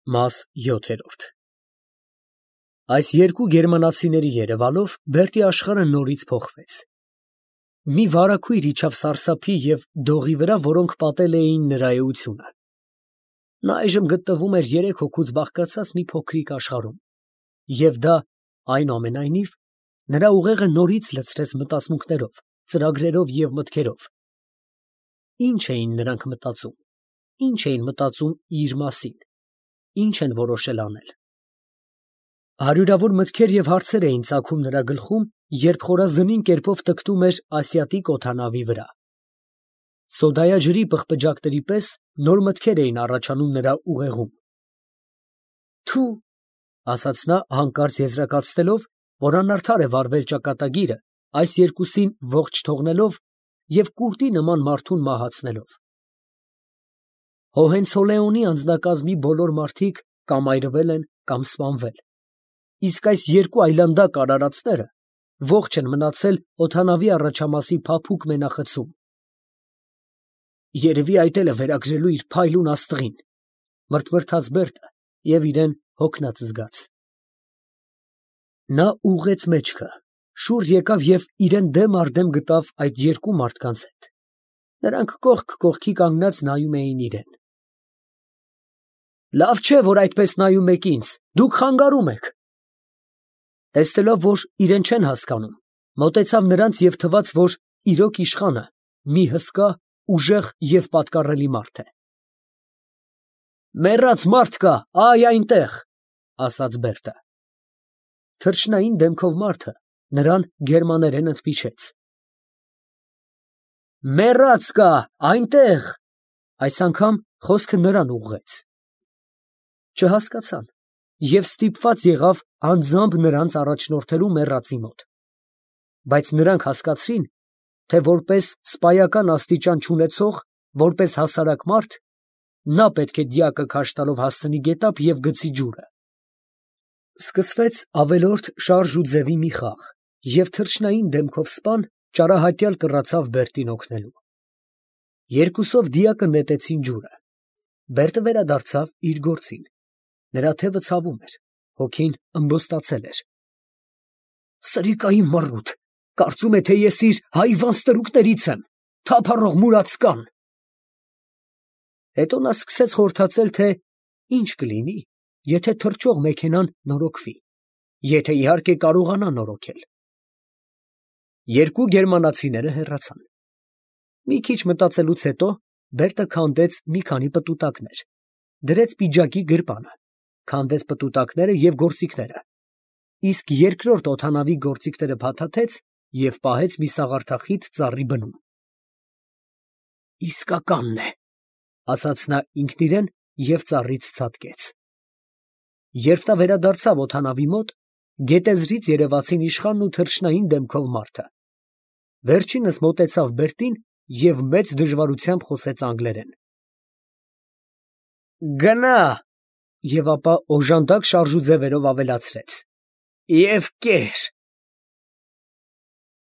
Մաս 7 Այս երկու գերմանացիների երևալով Բերտի աշխարհը նորից փոխվեց. մի վարագույր իջավ սարսափի և դողի վրա, որոնք պատել էին նրա էությունը. նա այժմ գտնվում էր 3 հոգուց բաղկացած մի փոքրիկ աշխարհում, և դա, այնուամենայնիվ, նրա ուղեղը նորից լցրեց մտածմունքներով, ծրագրերով և մտքերով. ինչ էին նրանք մտածում, ինչ էին մտածում իր մասին, ինչ են որոշել անել. հարյուրավոր մտքեր և հարցեր էին ծագում նրա գլխում, երբ խորազնին կերպով տքնում էր ասիատիկ օդանավի վրա. սոդայաջրի պղպջակների պես նոր մտքեր էին առաջանում նրա ուղեղում. «Թու», ասաց նա հանկարծ եզրակացնելով, որ անարդար է վարվել ճակատագիրը, այս երկուսին ողջ թողնելով և կուլտի նման մարդուն մահացնելով. Հոհենցոլեոնի անձնակազմի բոլոր մարդիկ կամ այրվել են, կամ սպանվել, իսկ այս երկու այլանդակ արարածները ողջ են մնացել օդանավի առաջամասի փափուկ մենախցում։ «Երևի այդ էլ է վերագրելու իր փայլուն աստղին», մրթմրթաց Բերտը և իրեն հոգնած զգաց։ Նա ուղղեց մեջքը, շուռ եկավ և իրան դեմ առ դեմ գտավ այդ երկու մարդկանց հետ. նրանք կողք կողքի կանգնած նայում էին իրան։ «Լավ չէ, որ այդպես նայում եք ինձ, դուք խանգարում եք»։ Տեսնելով, որ իրեն չեն հասկանում, մոտեցավ նրանց և թվաց, որ իրոք իշխանը մի հսկա, ուժեղ և պատկառելի մարդ է։ «Մեռած մարդ կա, այ այնտեղ», ասաց Բերտը։ Թռչնային դեմքով մարդը նրան գերմաներեն ընդմիջեց. «Մեռած կա, այնտեղ», այս անգամ խոսքը նրան ուղղեց։ Չհասկացան և ստիպված եղավ անձամբ նրանց առաջնորդելու մեռածի մոտ, բայց նրանք հասկացրին, թե որպես սպայական աստիճան չունեցող, որպես հասարակ մարդ, նա պետք է դիակը քաշ տալով հասցնի գետափ և գցի ջուրը։ Սկսվեց ավելորդ շարժ ու ձևի մի խաղ, և թռչնային դեմքով սպան ճարահատյալ կռացավ Բերտին օգնելու։ Երկուսով դիակը նետեցին ջուրը։ Բերտը վերադարձավ իր գործին։ Նրա թևը ցավում էր, հոգին ըմբոստացել էր։ «Սրիկայի մռութ, կարծում է, թե ես իր հայվան ստրուկներից եմ, թափառող մուրացկան»։ Հետո նա սկսեց խորհրդածել, թե ինչ կլինի, եթե թռչող մեքենան նորոգվի, եթե իհարկե կարողանա նորոգել։ Երկու գերմանացիները հեռացան։ Մի քիչ մտածելուց հետո Բերտը քանդեց մի քանի պտուտակներ, դրեց պիջակի գրպանը, քանդեց պտուտակները և գործիքները, իսկ երկրորդ օդանավի գործիքները փաթաթեց և պահեց մի սաղարթախիտ ծառի բնում։ «Իսկականն է», ասաց նա ինքն իրան և ծառից ցատկեց։ Երբ նա վերադարձավ օդանավի մոտ, գետեզրից երևացին իշխանն ու թռչնային դեմքով մարդը։ Վերջինս մոտեցավ Բերտին և մեծ դժվարությամբ խոսեց անգլերեն։ «Գնա», և ապա օժանդակ շարժուձևերով ավելացրեց. «և կեր»։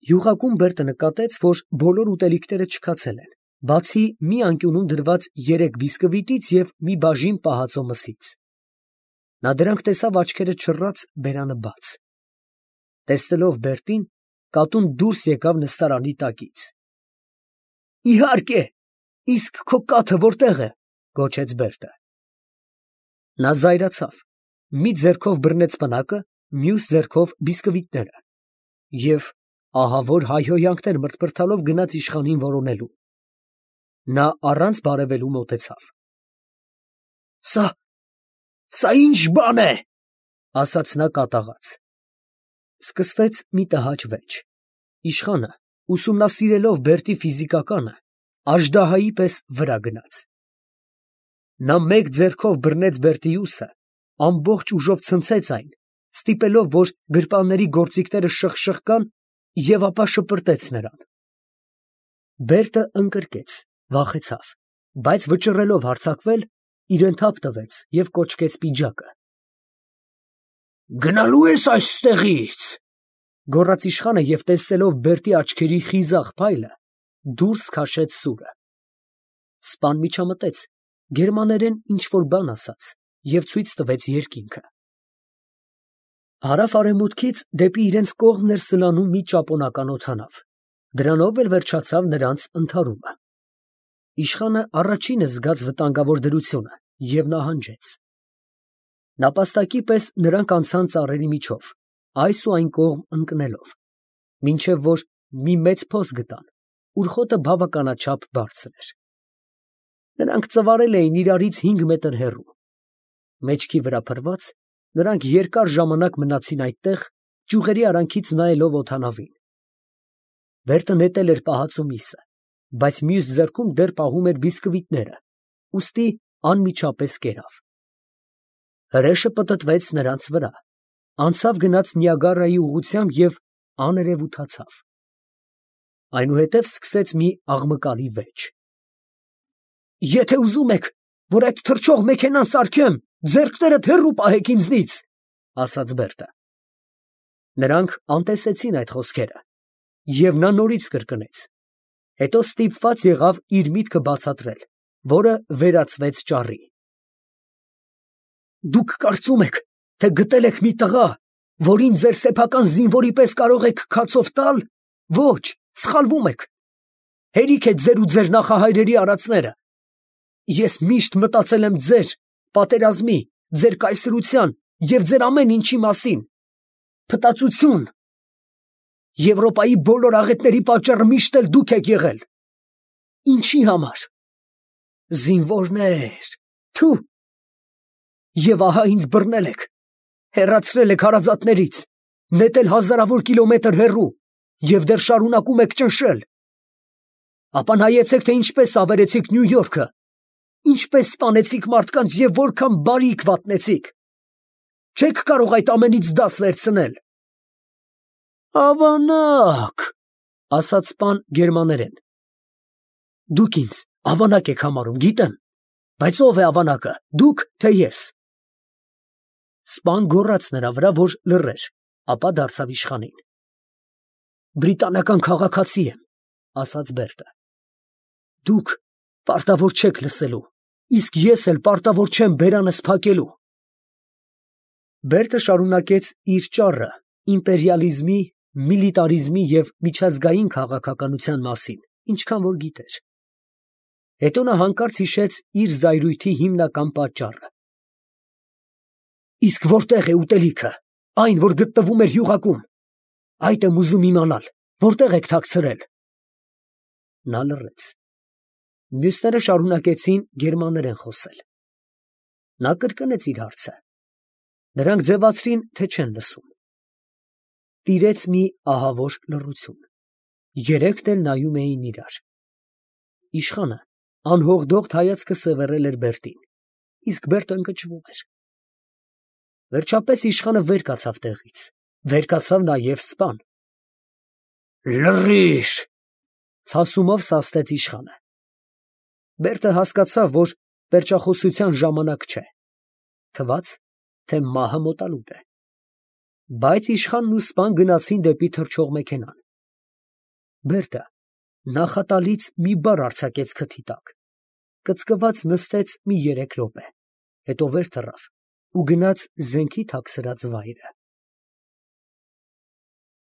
Յուղակում Բերտը նկատեց, որ բոլոր ուտելիքները չքացել են, բացի մի անկյունում դրված 3 բիսկվիտից և մի բաժին պահածո մսից։ Նա դրանք տեսավ աչքերը չռած, բերանը բաց։ Տեսնելով Բերտին, կատուն դուրս եկավ նստարանի տակից։ «Իհարկե, իսկ քո կաթը որտե՞ղ է», գոչեց Բերտը։ Նա զայրացավ, մի ձեռքով բռնեց պնակը, մյուս ձեռքով բիսկվիտները և ահավոր հայհոյանքներ մրթմրթալով գնաց իշխանին որոնելու։ Նա առանց բարևելու մոտեցավ։ «Սա ի՞նչ բան է», ասաց նա կատաղած։ Սկսվեց մի տհաճ վեճ։ Իշխանը, ուսումնասիրելով Բերտի ֆիզիկականը, աժդահայի պես վրա գնաց։ Նա մեկ ձեռքով բռնեց Բերտի ուսը, ամբողջ ուժով ցնցեց այն, ստիպելով, որ գրպանների գործիքները շխկան, և ապա շպրտեց նրան։ Բերտը ընկրկեց, վախեցավ, բայց վճռելով հարձակվել, իրան թափ տվեց և կոչկեց պիջակը։ «Գնալո՞ւ ես այստեղից», գոռաց իշխանը և տեսնելով Բերտի աչքերի խիզախ փայլը, դուրս քաշեց սուրը։ Սպան միջամտեց, գերմաներեն ինչ֊որ բան ասաց և ցույց տվեց երկինքը։ Հարավ֊արևմուտքից դեպի իրենց կողմն էր սլանում մի ճապոնական օդանավ, դրանով էլ վերջացավ նրանց ընդհարումը։ Իշխանը առաջինը զգաց վտանգավոր դրությունը և նահանջեց։ Նապաստակի պես նրանք անցան ծառերի միջով, այս ու այն կողմ ընկնելով, մինչև որ մի մեծ փոս գտան, ուր խոտը բավականաչափ բարձր էր։ Նրանք ծվարել էին իրարից 5 մետր հեռու։ Մեջքի վրա փռված, նրանք երկար ժամանակ մնացին այդտեղ, ճյուղերի արանքից նայելով օդանավին։ Բերտը նետել էր պահածու միսը, բայց մյուս ձեռքում դեռ պահում էր բիսկվիտները, ուստի անմիջապես կերավ։ Հրեշը պտտվեց նրանց վրա, անցավ գնաց Նիագարայի ուղղությամբ և աներևութացավ։ Այնուհետև սկսեց մի աղմկալի վեճ։ «Եթե ուզում եք, որ այդ թռչող մեքենան սարքեմ, ձեռքներդ հեռու պահեք ինձնից», ֊ ասաց Բերտը։ Նրանք անտեսեցին այդ խոսքերը, և նա նորից կրկնեց, հետո ստիպված եղավ իր միտքը բացատրել, որը վերածվեց ճառի։ «Դուք կարծում եք, թե գտել եք մի տղա, որին ձեր սեփական զինվորի պես կարող եք քացով տալ։ Ոչ, սխալվում եք։ Հերիք է ձեր ու ձեր նախահայրերի արածները։ Ես միշտ մտածել եմ ձեր պատերազմի, ձեր կայսրության և ձեր ամեն ինչի մասին։ Փտածություն։ Եվրոպայի բոլոր աղետների պատճառը միշտ էլ դուք եք եղել։ Ինչի համար։ Զինվորներ, թու։ Եվ ահա ինձ բռնել եք, հեռացրել եք հարազատներից, նետել հազարավոր կիլոմետր հեռու և դեռ շարունակում եք ճնշել։ Ապա նայեցեք, թե ինչպես ավերեցիք Նյու Յորքը, ինչպես սպանեցիք մարդկանց և որքան բարիք վատնեցիք։ Չեք կարող այդ ամենից դաս վերցնել։ Ավանակ, ասաց սպան գերմաներեն։ Դուք ինձ ավանակ եք համարում, գիտեմ, բայց ո՞վ է ավանակը, դուք, թե ես։ Սպան գոռաց նրա վրա, որ լռեր, ապա դարձավ իշխանին։ Բրիտանական քաղաքացի եմ, ասաց Բերտը։ Դուք պարտավոր չեք լսելու, իսկ ես էլ պարտավոր չեմ բերանս փակելու։ Բերտը շարունակեց իր ճառը իմպերիալիզմի, միլիտարիզմի և միջազգային քաղաքականության մասին, ինչքան որ գիտեր։ Հետո նա հանկարծ հիշեց իր զայրույթի հիմնական պատճառը։ Իսկ որտե՞ղ է ուտելիքը, այն, որ գտնվում էր յուղակում։ Այդ եմ ուզում իմանալ, որտե՞ղ եք թաքցրել։ Նա լռեց։ Մյուսները շարունակեցին գերմաներեն խոսել։ Նա կրկնեց իր հարցը։ Նրանք ձևացրին, թե չեն լսում։ Տիրեց մի ահավոր լռություն։ Երեքն էլ նայում էին իրար։ Իշխանը անհողդողդ հայացքը սևեռել էր Բերտին, իսկ Բերտը ընկճվում էր։ Վերջապես իշխանը վեր կացավ տեղից, վեր կացավ նաև սպան։ Լռիր, ցասումով սաստեց իշխանը։ Բերտը հասկացավ, որ պերճախոսության ժամանակ չէ։ Թվաց, թե մահը մոտալուտ է։ Բայց իշխանն ու սպան գնացին դեպի թռչող մեքենան։ Բերտը նախատալից մի բառ արձակեց քթի տակ, կծկված նստեց մի 3 րոպե, հետո վեր թռավ ու գնաց զենքի թաքցրած վայրը։